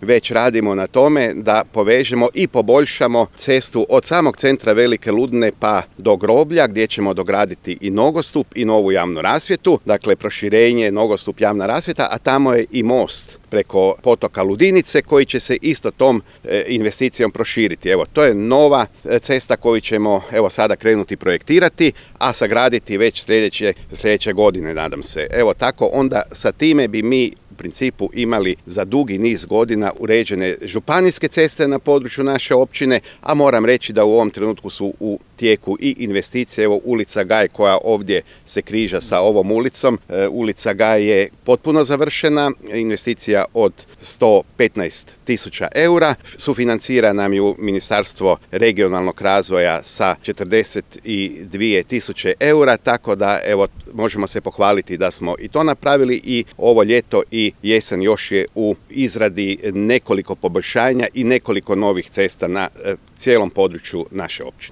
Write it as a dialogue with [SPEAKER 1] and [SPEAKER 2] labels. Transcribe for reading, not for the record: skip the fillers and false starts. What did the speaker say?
[SPEAKER 1] već radimo na tome da povežemo i poboljšamo cestu od samog centra Velike Ludine pa do groblja, gdje ćemo dograditi i nogostup i novu javnu rasvjetu, dakle proširenje, nogostup, javna rasvjeta, a tamo je i most preko potoka Ludinice koji će se isto tom investicijom proširiti. Evo, to je nova cesta koju ćemo sada krenuti projektirati, a sagraditi već sljedeće godine, nadam se. Evo tako, onda sa time bi mi u principu imali za dugi niz godina uređene županijske ceste na području naše općine, a moram reći da u ovom trenutku su u tijeku i investicije. Evo, ulica Gaj koja ovdje se križa sa ovom ulicom, ulica Gaj je potpuno završena, investicija od 115.000 eura, sufinancira nam ju Ministarstvo regionalnog razvoja sa 42.000 eura, tako da evo možemo se pohvaliti da smo i to napravili i ovo ljeto i jesen još je u izradi nekoliko poboljšanja i nekoliko novih cesta na cijelom području naše općine.